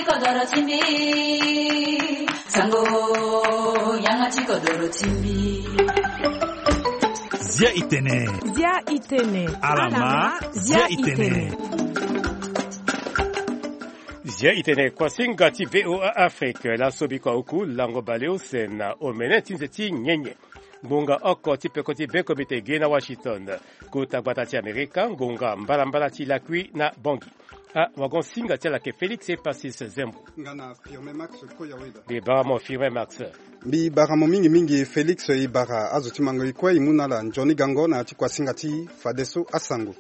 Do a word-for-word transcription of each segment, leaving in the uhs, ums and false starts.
Kodoro ti mbi, sango, yanga ti kodoro ti mbi. Zia itene. Zia itene. Alama, zia itene. Zia itene kuasinga ti V O A Afrique, laso biko auku lango baleuse na omene ti nze ti nyenye. Ngonga oko ti peko ti be komite ge na Washington. Kota gbata ti Amerika, ngonga mbalambala ti lakui na Bangui. Awagon-singa ti ala ayeke Félix Epassis Zembo. Nga na Firmin Max Koyaweda. Mbi bara mo Firmin Max. Mbi bara mo mingi mingi Félix, e bara azo ti mango e kue e mu na ala nzoni gango na ya ti kuasinga ti fadeso asango.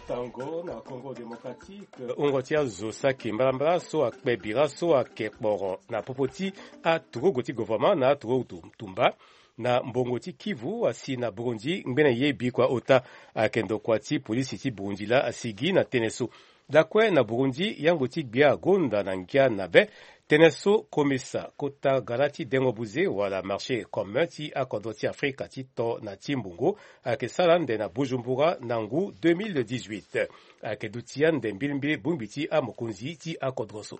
Tango na Congo Démocratique, hungo ti azo saki mbalambala so akpe bira so ayeke kporo na popo ti aturugu ti gouvernement na aturugu tumba na mbongo ti Kivu asi na Burundi ngbene ye bikua ota. Ayeke ndokua ti polisi ti Burundi laa asigi na tënë so. Lakue na Burundi, yango ti gbia agonda na ngia na be tënë so komisa kota gara ti dengo buze wala marché commun ti akodro ti Afrika ti to na ti mbongo ayeke sara ande na Bujumbura na ngu deux mille dix-huit. Ayeke duti ande mbilimbili bongbi ti amokonzi ti akodro so.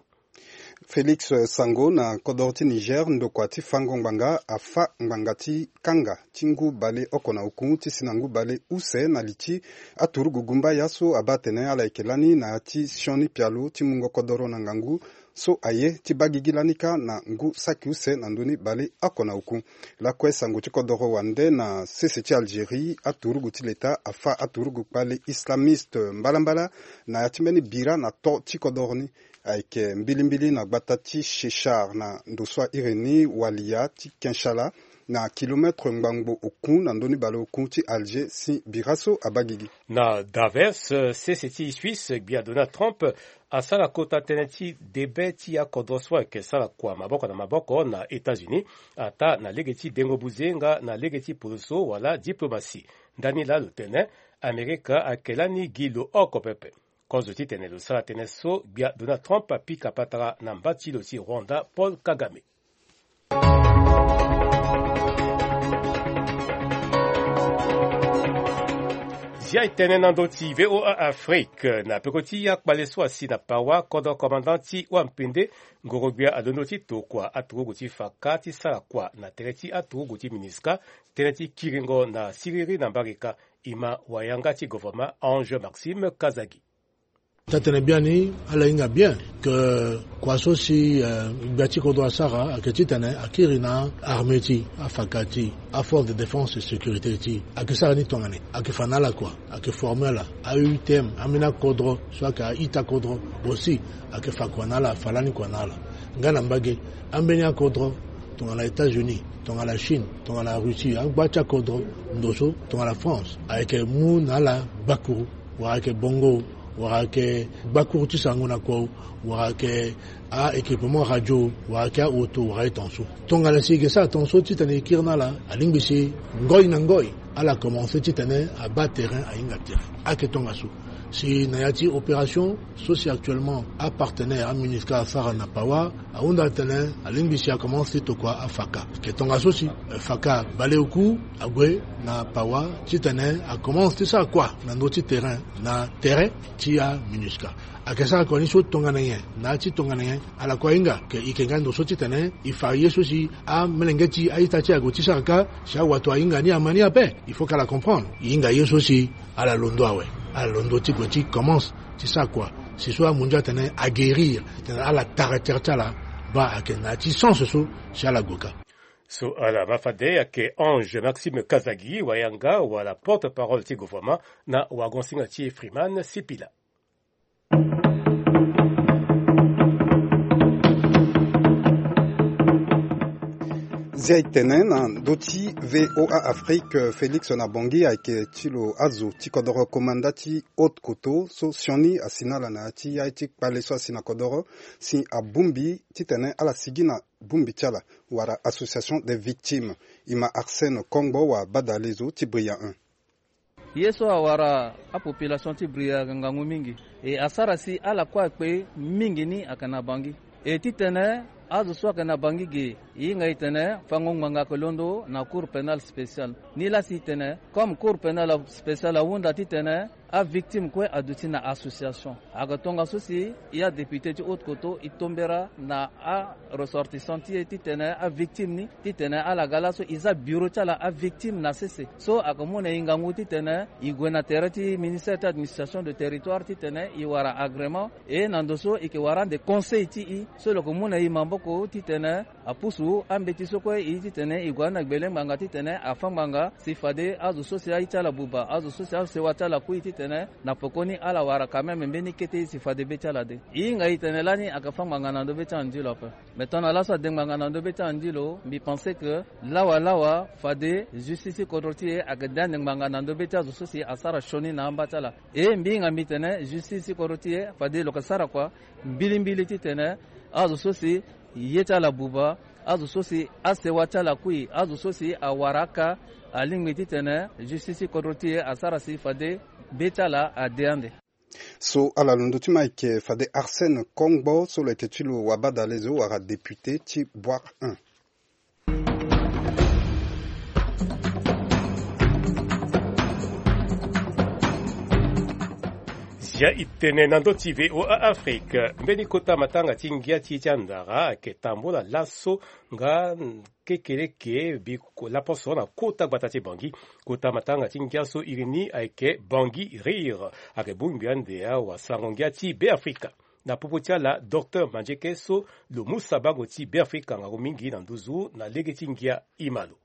Félix, eh, Sango, na kodoro ti Niger, ndokua ti fango ngbanga afâ ngbanga ti kanga ti ngu baleoko na oku ti si na ngu bale use na li ti aturugu gumbaya so abaa atene ala yeke lani na ya ti sioni pialo ti mungo kodoro na ngangu so aye ti baa gigi lani kâ na ngu saki use na ndö ni baleoko na oku. Lakue sango ti kodoro wande na sese ti Algérie, aturugu ti leta afâ aturugu kpale islamiste mbalambala na ya ti mbeni bira na to ti kodoro ni. Ayeke mbilimbili na gbata ti Chechar na ndo so a iri ni walia ti Kinchala, na kilometre ngbangbo oku na ndö ni baleoku ti Alger si bira so abaa gigi. Na Davos, sese ti Suisse, gbia Donald Trump asara kota tënë ti debe ti akodro so ayeke sara kua maboko na maboko na États-Unis, ataa na lege ti dengo buze nga na lege ti poroso wala diplomatie. Ndani laa lo tene Amerika ayeke lani gi lo oko pepe. Kozo titene lo sara tënë so, gbia Donald Trump apika patara na mba ti lo ti Rwanda, Paul Kagame. Zia e tene na ndö ti V O A Afrique, na peko ti akpale so asi na Pawa, kodro commandant ti wampende ngoro-gbia alondo ti tokua aturugu ti faka ti sara kua na tere ti aturugu ti MINUSCA, tënë ti kiringo na siriri na mbarika. E ma wayanga ti gouvernement Ange Maxime Kazagi. Taa-tënë biani ala hinga bien que kua so si, eh, gbia ti kodro asara ayeke titene akiri na armée ti, afaka ti, aforce de défense et sécurité ti, ayeke sara ni tongana nyen? Ayeke fa na ala kua, ayeke former ala, a-U T M, ambeni akodro so ayeke a-ita kodro aussi, ayeke fa kua na ala, afa lani kua na ala. Nga na mbage, ambeni akodro tongana États-Unis, tongana Chine, tongana Russie, angba ti akodro ndo so tongana France, ayeke mu na ala gbakuru, wala ayeke bongo, wala ayeke gbakuru ti sango na kua, wala ayeke a-équipement radio, wala ayeke a-auto, wala aye ton so. Tongana si e yeke sara ton so titene e kiri na ala, alingbi si ngoi na ngoi ala commencer titene abaa terrain, ahinga terrain. Ayeke tongaso. Si na ya ti opération so si actuellement apartenaire aMINUSCA asara na Pawa, ahunda atene alingbi si akomanse ti tokua afaka. Ayeke tongaso si, eh, faka baleoku ague na Pawa titene akomanse ti sara kua na ndö ti terrain, na tere ti aMINUSCA. Ayeke sara kua ni so tongana nyen, na ya ti tongana nyen, ala kue ahinga. Ayeke, e yeke nga ndo so titene e fa ye so si amelenge ti a-ita ti e ague ti sara kâ, si awato ahinga ni ama ni ape. Il faut que ala comprendre. E hinga ye so si ala londo awe. Ala londo ti gue ti commence ti sara kua. Si so amu ndia atene aguérir, titene ala tara tere ti ala, baa ayeke na ya ti sens so si ala gue kâ. So ala ma fade ayeke Ange Maxime Kazagi, wayanga wala porte-parole ti gouvernement, na wagon-singa ti Freeman Sipila. Zia e tene na ndö ti V O A Afrique, Félix na Bangui ayeke ti lo azo ti kodoro komanda ti Haute-Kotto so sioni asi na ala na ya ti aye ti kpale so asi na kodoro si abongbi titene ala sigi na bongbi ti ala wala association des victimes. E ma Arsène Kongbo wa badale zo ti Bria un. Ye so awara apopulation ti Bria ngangu mingi. E asara si ala kue akpe mingi ni ayeke na Bangui. E titene azo so ayeke na Bangui ge, e hinga e tene fango ngbanga ayeke londo na Cour pénale spéciale. Nilaa si e tene, comme Cour pénale spéciale ahunda titene avictime kue aduti na association. Ayeke tongaso si e adéputé ti haute koto e tombera na aressortissant ti e titene avictime ni titene ala ga laso e za bureau ti ala avictime na sese. So ayeke mu na e ngangu titene e gue na tere ti ministère ti administration de territoire titene e wara agrément. E na ndo so e yeke wara ande conseil ti e so lo yeke mu na e maboko titene apusu ambeti so kue e titene e gue na gbele ngbanga titene afâ ngbanga si fade azo so si aye ti ala buba, azo so si asewa ti ala kui titene na pekoni ala wara quand même mbeni kete si fade be ti ala de. E hinga e tene lani ayeke fâ ngbanga na ndo be ti ande lo ape. Mais tongana laso ade ngbanga na ndo be ti ande lo, mbi pensé que lawa lawa fade justice ti kodro ti e ayeke de ande ngbanga na ndo be ti azo so si asara sioni na amba ti ala. E mbi hinga mbi tene justice ti kodro ti e fade lo yeke sara kua mbilimbili titene azo so si ye ti ala buba, azo so si asewa ti ala kui, azo so si awara aka, alingbi titene justice ti kodro ti e asara si fade be ti ala ade ande. So ala londo ti mo ayeke fade Arsène Kongbo so lo yeke ti lo wabadale zo wala député ti Bouar un. Zia e tene na ndö ti V O A Afrique. Mbeni kota matanga ti ngia ti e ti andara ayeke tambula laso nga kekereke bi laposo na kota gbata ti Bangui. Kota matanga ti ngia so iri ni ayeke Bangui Rire. Ayeke bongbi ande awasango ngia ti Beafrika. Na popo ti ala, Docteur Mandieke so lo mu sabango ti Beafrika ngangu mingi na nduzu na lege ti ngia e ma lo.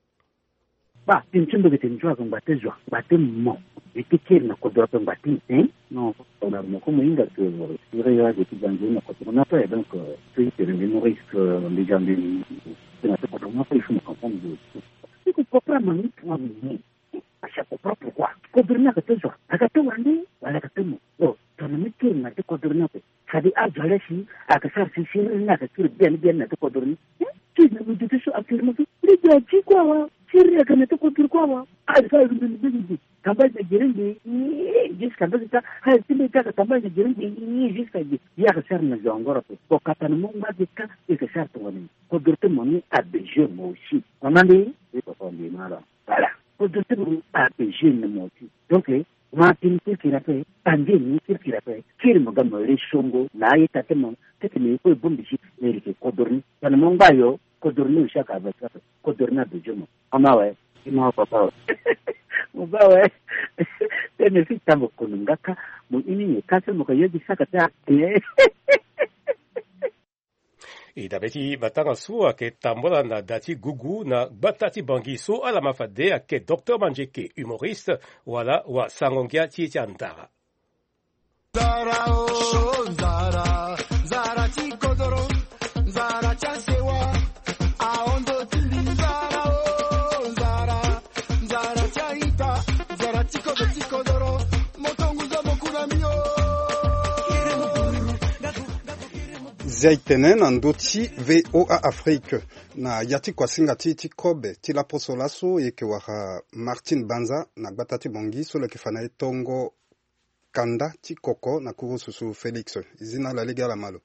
Ba, ti nzoni ayeke nzoni ayeke ngba ti zo, ngba ti mo. E ti kiri na kodro ape ngba ti nzoni. Non, na mo ko mo hinga ke siri ya ge ti banze na kodro ni ape, donc, euh, ti tere mbi nourrice, euh, mbi ga mbi, ti na ti kodro ni ape, il faut mo comprendre. Il faut comprendre, mais moi, mais, mais, parce que comprendre pourquoi. Kodro ni ayeke ti zo, ayeke ti wande, wala ayeke ti mo. Bon, tongana mbi kiri na ti kodro ni ape. Fade azo ale si ayeke sara si siriri ni ayeke siriri bien bien na ti kodro ni. Eh, ti na mbi duti so affirmation. Mbi ga ti kue awe. Siriri ayeke na ti kodro kue awe. Azo so azo mbi mbi mbi. Tambage na gere mbi. Jusqu'à mbi ta. Azo ti mbi ta ka tambage na gere mbi. Jusqu'à mbi. Ye ayeke sara na zo angoro ape. Bon, kata na mo ngba ge ka. E yeke sara tongana ni. Kodro ti mo ni a besoin mo aussi. Mama mbi. E papa mbi mara. Voilà. Kodro ti mo ni a besoin mo aussi. Donc, eh, Mo atene kirikiri ape, tande ni kirikiri ape, kiri mo ga mo re songo na aye tate mo, tete mo ye kue bongbi si mo iri ke kodro ni. Tongana mo ngba yo, kodro ni aussi aka abe ti ape, kodro ni abe jo mo. Ama we, ima papa we. Mo ba we. Tene si tango kono nga ka, mo ini ye ka se mo ka yo di saka ta. E dabe ti matanga so ayeke tambula na da ti gugu na gbata ti Bangui so ala ma fade ayeke Docteur Mandieke, humoriste, wala wasango ngia ti e ti andara. Nzara o, nzara, nzara ti kodoro, nzara ti asewa, ahondo ti mbi, nzara o, nzara, nzara ti aita, nzara ti kodoro, ti kodoro, moto ngu zo mo ku na mbi o. Zia e tene na ndö ti V O A Afrique. Na ya ti kuasinga ti e ti kobe ti laposo laso e yeke wara Martine Banza na gbata ti Bangui so lo yeke fa na e tongo kanda ti koko na kurususu Félix. E zi na ala lege ala ma lo.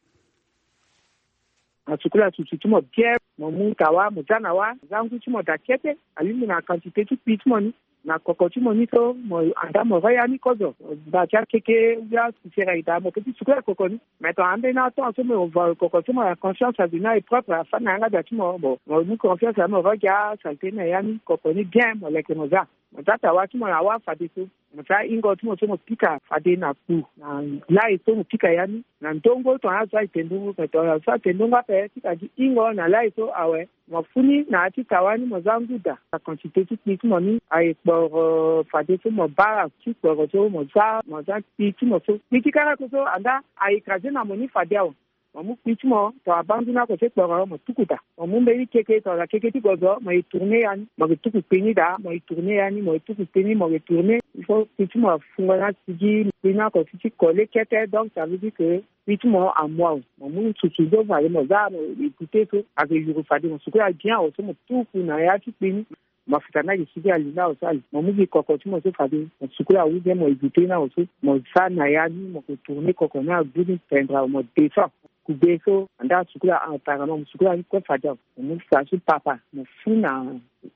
Asukula susu ti mo bien, mo mu tawa, mo za na wa, za ngu ti mo daa kete, alingbi na quantité ti kpi ti mo ni. Na koko ti mo ni so, mo anda mo ro ya ni kozo. Mo ba ti akeke, ya sisera ita, mo ke ti sukula koko ni. Mais tongana ambeni atonga so mo va koko ti mo na conscience azo ni aye propre, afâ na yanga da ti mo. Bon, mo mu conscience aye mo ro gi asaleté na ya ni, koko ni bien, mo leke mo za. Mo za tawa ti mo na wa fadeso. Mo za hingo ti mo so mo pika fade na kpu. Na lai so mo pika ya ni. Na ndongo tongana azo aye te ndongo, mais tongana azo aye te ndongo ape, pika gi hingo na lai so awe. Mo fû ni na ya ti tawa ni mo za ngu daa. Na quantité ti kpi ti mo ni aye kporo fadeso mo bara ti kporo so mo za, mo za kpi ti mo so. Kpi ti karako so anda a écrasé na mo ni fade awe. Mo mu kpi ti mo, tongana bandu ni ako ti kporo mo tuku daa. Mo mu mbeni keke, tongana keke ti gozo mo ye tourné ya ni. Mo ke tuku kpi ni daa, mo ye tourné ya ni, mo ye tuku kpi ni, mo ke tourné. Il faut kpi ti mo afungo na sigi, kpi ni ako ti ti collé kete, donc ça veut dire que kpi ti mo amu awe. Mo mu susu so fade mo za mo écouté so ayeke yuru fade mo sukula bien awe so mo tuku na ya ti kpi ni. Mafuta ni ayeke sigi ali ni awe so ali. Mo mu gi koko ti mo so fade mo sukula ou bien mo évité ni awe so mo za na ya ni mo ke tourné koko ni agu ni pendre awe mo descend. Kube so anda asukula apparemment mo sukula ni kue fade awe. Mo mu fa so papa mo fû na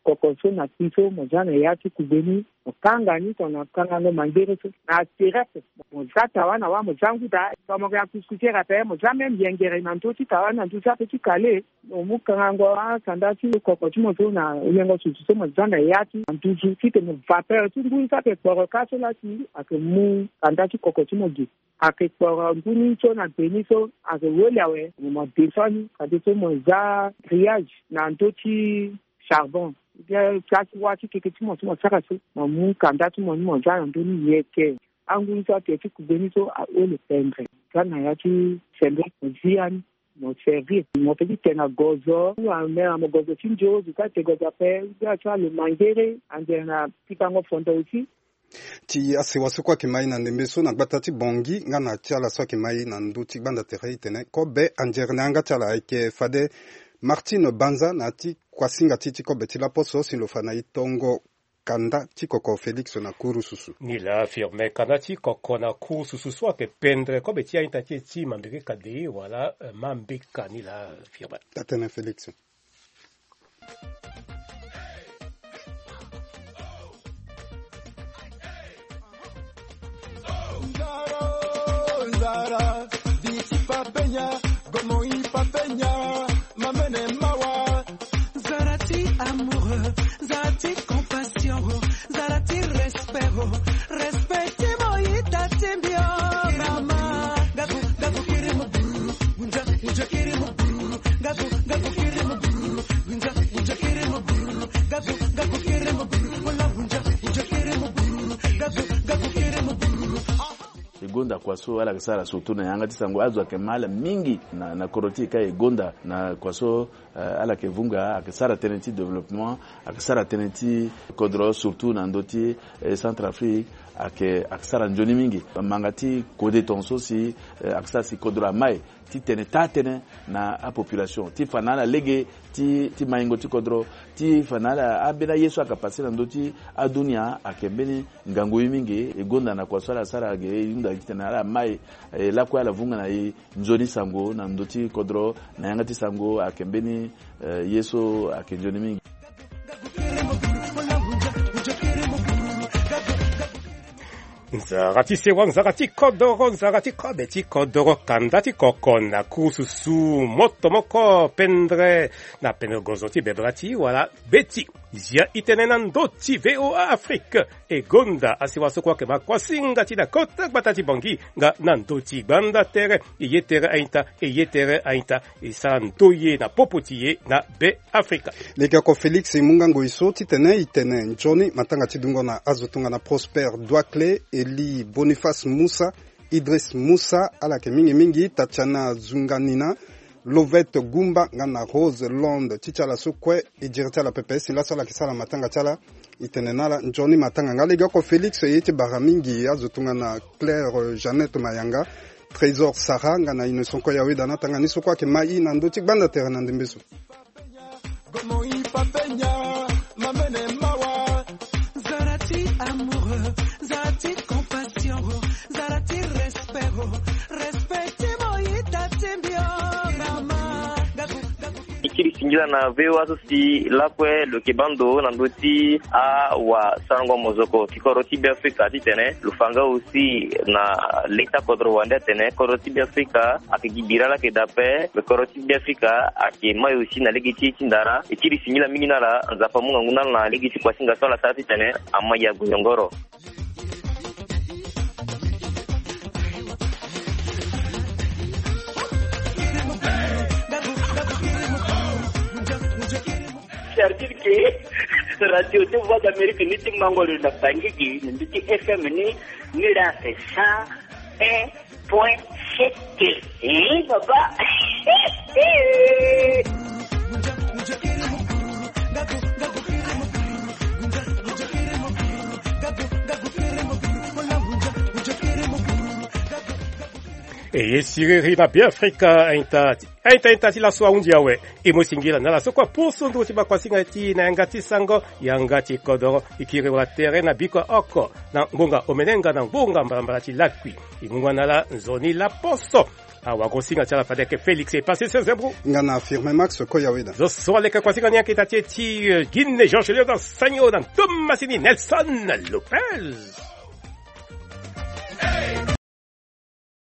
koko so na ti so mo za na ya ti kugbe ni, mo kanga ni tongana kangango mangere so na asterepe. Mo za tawa na wa mo za ngu daa, tongana mo yeke na kuskusere ape mo za même yengere na ndö ti tawa ni na ndö ti ape ti kale. Mo mu kangango akanda ti koko ti mo so na yengo susu so mo za na ya ti na nduzu titene vapeur ti ngu ni so ayeke kporo ka so la si ayeke mu kanda ti koko ti mo ge. Ayeke kporo ngu ni so na gbe ni so ayeke weli awe mo ma descend ni kade so mo za grillage na ndö ti charbon. Bien place ti wa ti keke ti mo so mo sara so mo mu kanda ti mo ni mo za na ndö ni yeke. Angu ni so ate ti kugbe ni so aole pendre. Za na ya ti sembe mo zi ya ni mo servir mo pe ti tene na gozo ou amere na mo gozo ti nzo zo ka te gozo ape. Za ti alo mangere ande na pikango fondo aussi. Ti asewa so kue ayeke mai na ndembe so na gbata ti Bangui nga na ti ala so ayeke mai na ndö ti gbanda tere itene kobe anzere na yanga ti ala ayeke fade Martine Banza na ya ti kuasinga ti ti kobe ti laposo si lo fa na e tongo kanda ti koko Félix na kurususu. Ni laa firme kanda ti koko na kurususu so ayeke pendre kobe ti a-ita ti e ti mambeke kade wala eh, mambeka ni laa firme. Atene Félix. Nzara, nzara, diti papenya, gomo i papenya, mamene mawa. Nzara ti amoureux, nzara ti compassion, nzara ti respect, respect ti mo ita ti mbio mama. Gabu, gabu kiri mo buru, gunja, gunja kiri mo buru, gabu, gabu kiri mo buru. E gonda kua so ala yeke sara surtout na yanga ti sango azo ayeke ma ala mingi na, na kodro ti e ka e gonda na kua so eh, ala yeke vunga ayeke sara tënë ti développement, ayeke sara tënë ti kodro surtout na ndö ti eh, Centrafrique ayeke, ayeke sara nzoni mingi. Manga ti kode tongaso si eh, ayeke sara si kodro amai ti tene taa tënë na apopulation ti fa na ala lege ti, ti maingo ti kodro ti fa na ala ambeni aye so ayeke pase na ndö ti adunia ayeke mbeni ngangu ye mingi. E gonda na kua so ala sara ge e hunda titene ala mai eh, lakue ala vunga na e nzoni sango na ndö ti kodro na yanga ti sango ayeke mbeni eh, ye so ayeke nzoni mingi. Nzara ti sewa, nzara ti kodoro, nzara ti kobe ti kodoro, kanda ti koko na kurususu, moto moko pendre na pendre gozo ti bebela ti wala beti. Zia itene na ndö ti V O A Afrique. E gonda asewa so kue ayeke ma kuasinga ti na kota gbata ti Bangui nga na ndö ti gbanda tere. E ye tere a-ita, e ye tere a-ita. E sara ndoye na popo ti e na Be Afrika. Legeoko Félix e mu nga ngoi so titene e tene nzoni matanga ti dungo na azo tongana Prosper Douaclé, Élie Boniface Moussa, Idriss Moussa, ala yeke mingi mingi Tatiana Zunganina, Lovette Goumba nga na Rose Londres. Ti ti ala so kue e diri ti ala pepe si laso ala yeke sara matanga ti ala. E tene na ala nzoni matanga nga legeoko Félix e ye ti bara mingi azo tongana Claire, euh, Jeannette Mayanga, Trésor Sarah nga na Innocent Koya Weda na tanga ni so kue ayeke ma e na ndö ti gbanda tere na ndembe so. Nzara ti amoureux, nzara ti compassion, nzara ti respect, respect ti mo ita ti mbio mama. Gabu, gabu. E kiri singila na V O A so si lakue lo yeke baa ndo na ndö ti awasarango mozoko ti kodro ti Beafrika titene lo fa nga aussi na leta kodro wande atene kodro ti Beafrika ayeke gi bira laa ayeke daa ape. Me kodro ti Beafrika ayeke mai aussi na lege ti e ti ndara. E kiri singila mingi na ala. Nzapa amu ngangu na ala na lege ti kuasinga so ala sara titene amai ague yongoro. C'est-à-dire que radio ti Voix d'Amérique ni ti mango lo na Bangui gi na ndö ti F M ni, ni la c'est cent un point sept. Eh, papa. E ye siriri na Beafrika a-ita. A-ita, a-ita ti laso ahunzi awe. E mu singila na ala so kue apusu nduru ti bakuasinga ti na yanga ti sango, yanga ti kodoro. E kiri wala tere na biko oko na ngbonga omene nga na ngbonga mbalambala ti lakui. E mu nga na ala nzoni laposo. Awagosinga ti ala fade ayeke Félix e pase sese bro. Nga na Firmin Max Koyaweda. Zo so aleke kuasinga ni ayeke ita ti e ti Guinée, Jean Chelio na Sagno na Thomasini Nelson Lopez.